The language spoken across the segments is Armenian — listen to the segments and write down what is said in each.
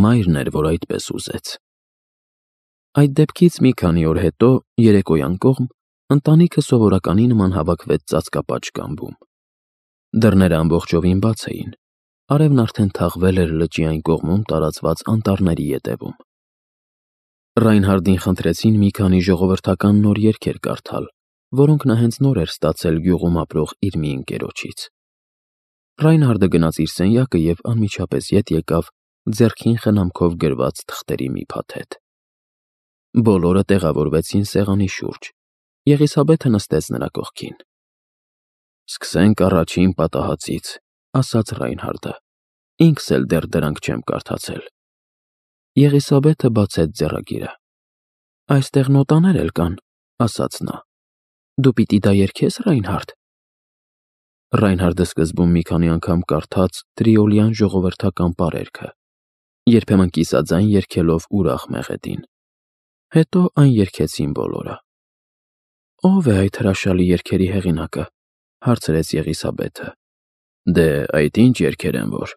մայրն էր, որ այդպես ուզեց։ Այդ դեպքից մի քանի օր հետո, երեկոյան կողմ, ընտանիքը սովորականի նման հավաքվեց ծածկապատ կամբում։ Դռները ամբողջովին բաց էին, արևն արդեն թաղվել էր լճի այն կողմում տարածված անտառների ետևում։ Ռայնհարդին խնդրեցին մի քանի ժողովրդական նոր երգեր կարդալ, որոնք նա հենց նոր էր ստացել գյուղում ապրող իր մի ընկերոջից։ Ռայնհարդը գնաց իր սենյակը և անմիջապես ետ եկավ ձեռքին խնամքով գրված թղթերի մի փաթեթ։ Բոլորը տեղավորվեցին սեղանի շուրջ։ Եղիսաբեթը նստեց նրա կողքին։ «Սկսենք առաջին պատահածից», ասաց Ռայնհարդը։ «Ինքս էլ դեռ դրանք չեմ կարդացել»։ Եղիսաբեթը բացեց ձեռագիրը։ «Այստեղ նոտաներ էլ կան», ասաց նա։ «Դու պիտի դա երգես, Ռայնհարդ»։ Ռայնհարդը սկզբում մի քանի անգամ կարդաց տրիոլյան ժողովրդական պարերգը, երբեմն կիսաձայն երգելով ուրախ մեղեդին։ Հետո այն երգեցին բոլորը։ «Ո՞վ է այդ հրաշալի երգերի հեղինակը», հարցրեց Եղիսաբեթը։ «Դե, այդ ինչ երգեր են որ»,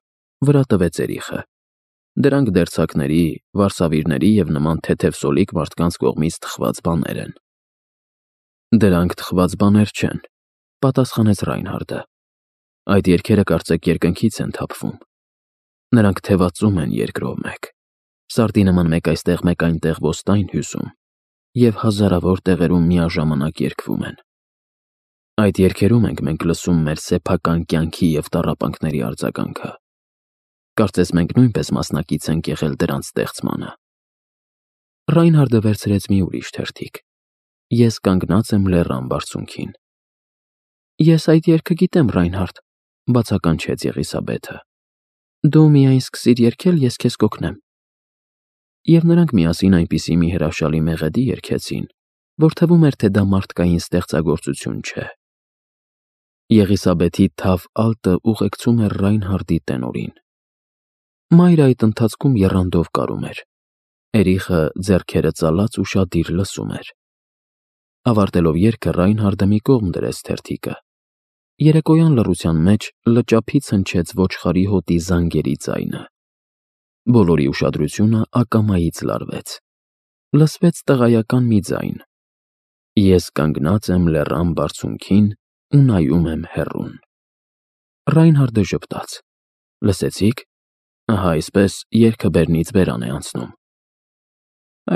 վրա տվեց Էրիխը։ «Դրանք դերձակների, վարսավիրների և նման թեթև մարդկանց կողմից թխված բաներ են»։ «Դրանք թխված բաներ չեն», պատասխանեց Ռայնհարդը։ «Այդ երգերը կարծեք երկնքից են թափվում։ Նրանք թևածում են երկրով մեկ, սարդի նման մեկ այստեղ, մեկ այնտեղ ոստայն հյուսում և հազարավոր տեղերում միաժամանակ երգվում են։ Այդ երգերում ենք մենք լսում մեր սեփական կյանքի և տառապանքների արձագանքը։ Կարծես մենք նույնպես մասնակից ենք եղել դրանց ստեղծմանը»։ Ռայնհարդը վերցրեց մի ուրիշ թերթիկ։ «Ես կանգնած եմ լեռան բարձունքին»։ «Ես այդ երգը գիտեմ, Ռայնհարդ», բացականչեց Եղիսաբեթը։ «Դու միայն սկսիր երգել, ես քեզ կօգնեմ»։ Եվ նրանք միասին այնպիսի մի հրաշալի մեղեդի երգեցին, որ թվում էր, թե դա մարդկային ստեղծագործություն չէ։ Եղիսաբեթի թավ ալտը ուղեկցում էր Ռայնհարդի տենորին։ Մայրը այդ ընթացքում եռանդով կարում էր։ Էրիխը ձեռքերը ծալած ուշադիր լսում էր։ Ավարտելով երգը Ռայնհարդը մի կողմ դրեց թերթիկը։ Երեկոյան լռության մեջ լճափից հնչեց ոչխարի հոտի զանգերի ձայնը։ Բոլորի ուշադրությունը ակամայից լարվեց։ Լսվեց տղայական մի ձայն. «Ես կանգնած եմ լեռան բարձունքին ու նայում եմ հեռուն»։ Ռայնհարդը ժպտաց։ «Լսեցի՞ք։ Ահա այսպես երգը բերնից բերան է անցնում»։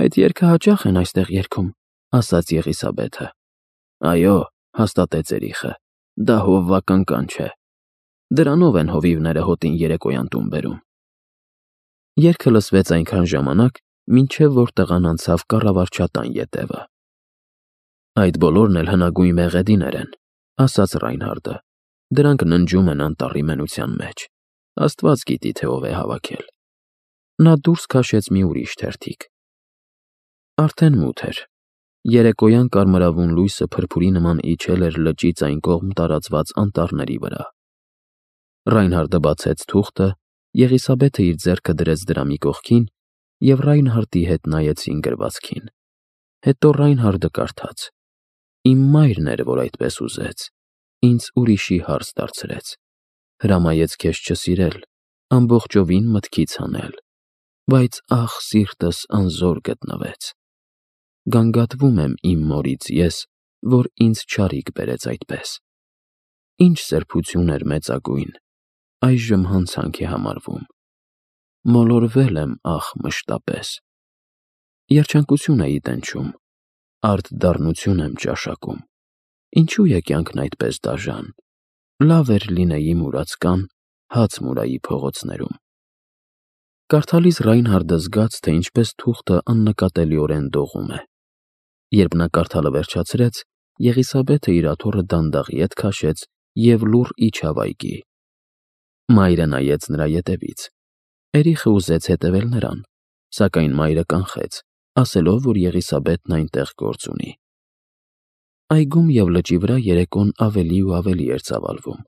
«Այդ երգը հաճախ են այստեղ երգում», ասաց Եղիսաբեթը։ «Այո», հաստատեց Էրիխը, «դա հովվական կանչ է։ Դրանով են հովիվները հոտին երեկոյան տուն բերում»։ Երգը լսվեց այնքան ժամանակ, մինչև որ տղան անցավ կառավարչատան ետևը։ «Այդ բոլորն էլ հնագույն մեղեդիներ են», ասաց Ռայնհարդը։ «Դրանք ննջում են անտառի մենության մեջ։ Աստված գիտի, թե ով է հավաքել»։ Նա դուրս քաշեց մի ուրիշ թերթիկ։ Արդեն մութ էր։ Երեկոյան կարմրավուն լույսը փրփուրի նման իջել էր լճից այն կողմ տարածված անտառների վրա։ Ռայնհարդը բացեց թուղթը, Եղիսաբեթը իր ձեռքը դրեց դրա մի կողքին, և Ռայնհարդի հետ նայեցին գրվածքին։ Հետո Ռայնհարդը կարդաց. «Իմ մայրն էր, որ այդպես ուզեց, ինձ ուրիշի հարց դարձրեց, հրամայեց քեզ չսիրել, ամբողջովին մտքից հանել, բայց ախ, սիրտս անզոր գտնվեց։ Գանգատվում եմ իմ մորից ես, որ ինձ չարիք բերեց այդպես։ Ինչ սրբություն էր մեծագույն, այժմ հանցանք է համարվում։ Մոլորվել եմ, ախ, մշտապես։ Երջանկություն էի տենչում, արդ դառնություն եմ ճաշակում։ Ինչու է կյանքն այդպես դաժան։ Լավ էր լինեի մուրացկան, հաց մուրայի փողոցներում»։ Կարդալիս Ռայնհարդը զգաց, թե ինչպես թուղթը աննկատելիորեն դողում է։ Երբ նա կարդալը վերջացրեց, Եղիսաբեթը իր աթոռը դանդաղ ետ քաշեց և լուռ իջավ այգի։ Մայրը նայեց նրա ետևից։ Էրիխը ուզեց հետևել նրան, սակայն մայրը կանխեց, ասելով, որ Եղիսաբեթն այնտեղ գործ ունի։ Այգում և լճի վրա երեկոն ավելի ու ավելի էր ծավալվում։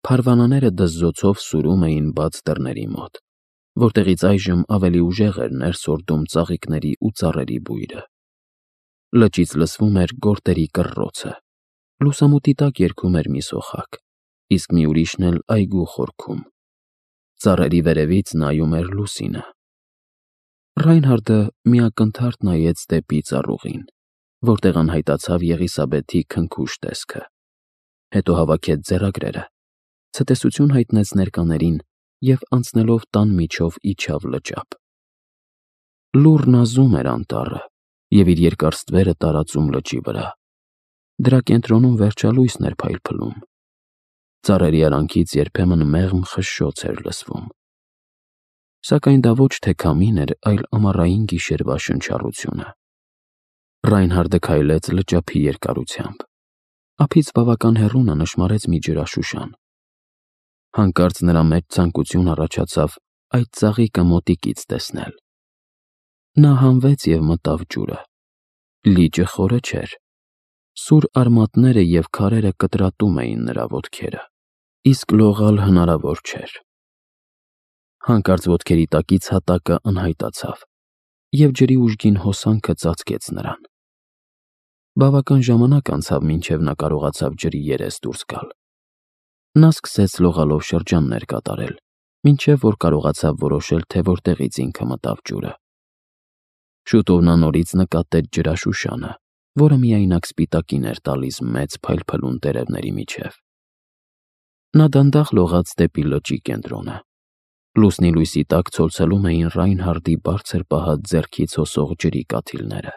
Փարվանաները դզզոցով սուրում էին բաց դռների մոտ, որտեղից այժմ ավելի ուժեղ էր ներս հորդում ծաղիկների ու ծառերի բույրը։ Լճից լսվում էր գորտերի կռռոցը։ Լուսամուտի տակ երգում էր մի սոխակ, իսկ մի ուրիշն էլ այգու խորքում։ Ծառերի վերևից նայում էր լուսինը։ Ռայնհարդը միակնթարթ նայեց դեպի ծառուղին, որտեղ անհայտացավ Եղիսաբեթի քնքուշ տեսքը, հետո հավաքեց ձեռագրերը, ցտեսություն հայտնեց ներկաներին և անցնելով տան միջով իջավ լճափ։ Լուռն ազում էր անտառը և իր երկար ստվերը տարածում լճի վրա։ Դրա կենտրոնում վերջալույսն էր փայլփլում։ Ծառերի արանքից երբեմն մեղմ խշշոց էր լսվում։ Սակայն դա ոչ թե քամին էր, այլ ամառային գիշերվա շնչառությունը։ Ռայնհարդը քայլեց լճափի երկարությամբ։ Ափից բավական հեռու նա նշմարեց մի ջրաշուշան։ Հանկարծ նրա մեջ ցանկություն առաջացավ այդ ծաղիկը մոտիկից տեսնել։ Նա հանվեց և մտավ ջուրը։ Լիճը խորը չէր։ Սուր արմատները և քարերը կտրատում էին նրա ոտքերը, իսկ լողալ հնարավոր չէր։ Հանկարծ ոտքերի տակից հատակը անհայտացավ, և ջրի ուժգին հոսանքը ծածկեց նրան։ Բավական ժամանակ անցավ, մինչև նա կարողացավ ջրի երես դուրս գալ։ Նա սկսեց լողալով շրջաններ կատարել, մինչև որ կարողացավ որոշել, թե որտեղից ինքը մտավ ջուրը։ Շուտով նա նորից նկատեց ջրաշուշանը, որը միայնակ սպիտակին էր տալիս մեծ փայլփլուն տերևների միջև։ Նա դանդաղ լողաց դեպի լճի կենտրոնը։ Լուսնի լույսի տակ ցոլցելում էին Ռայնհարդի բարձր պահած ձեռքից հոսող ջրի կաթիլները։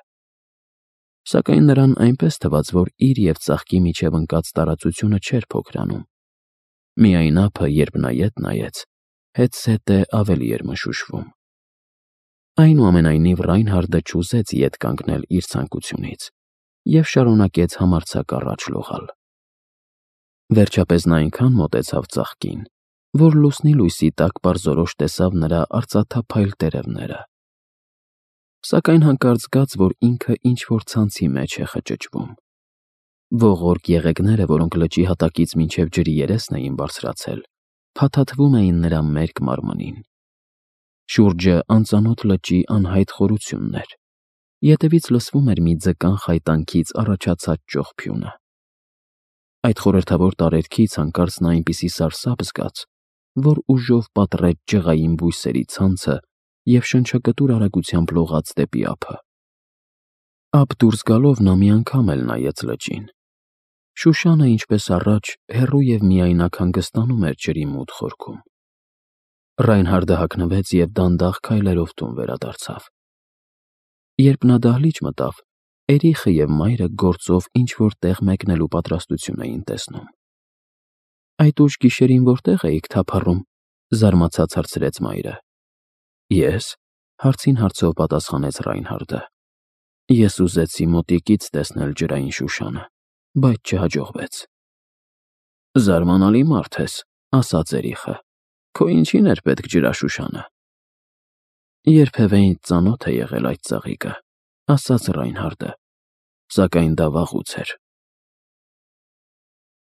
Սակայն նրան այնպես թվաց, որ իր և ծաղկի միջև ընկած տարածությունը չէր փոքրանում։ Միայն ափը, երբ նա ետ նայեց, հետզհետե ավելի էր մշուշվում։ Այնուամենայնիվ Ռայնհարդը չուզեց ետ կանգնել իր ցանկությունից և շարունակեց համարձակ առաջ լողալ։ Վերջապես նա այնքան մոտեցավ ծաղկին, որ լուսնի լույսի տակ պարզորոշ տեսավ նրա արծաթափայլ տերևները։ Սակայն հանկարծ զգաց, որ ինքը ինչ-որ ցանցի մեջ է խճճվում։ Ողորկ եղեգները, որոնք լճի հատակից մինչև ջրի երեսն էին բարձրացել, փաթաթվում էին նրա մերկ մարմնին։ Շուրջը անծանոթ լճի անհայտ խորությունն էր։ Ետևից լսվում էր մի ձկան խայտանքից առաջացած ճողփյունը։ Այդ խորհրդավոր տարերքից հանկարծ նա այնպիսի սարսափ զգաց, որ ուժով պատռեց ջղային բույսերի ցանցը և շնչակտուր արագությամբ լողաց դեպի ափը։ Ափ դուրս գալով նա մի անգամ էլ նայեց լճին։ Շուշանը, ինչպես առաջ, հեռու և միայնակ հանգստանում էր ջրի մութ խորքում։ Ռայնհարդը հագնվեց և դանդաղ քայլերով տուն վերադարձավ։ Երբ նա դահլիճ մտավ, Էրիխը և մայրը գործով ինչ-որ տեղ մեկնելու պատրաստություն էին տեսնում։ «Այդ ուշ գիշերին որտե՞ղ էիք թափառում», զարմացած հարցրեց մայրը։ «Ես», հարցին հարցով պատասխանեց Ռայնհարդը։ «Ես ուզեցի մոտիկից տեսնել ջրային շուշանը, բայց չհաջողվեց»։ «Զարմանալի մարդ ես», ասաց Էրիխը։ «Քո ինչին էր պետք ջրաշուշանը»։ «Երբևէ ինձ ծանոթ է եղել այդ ծաղիկը», ասաց Ռայնհարդը, «սակայն դա վաղուց էր»։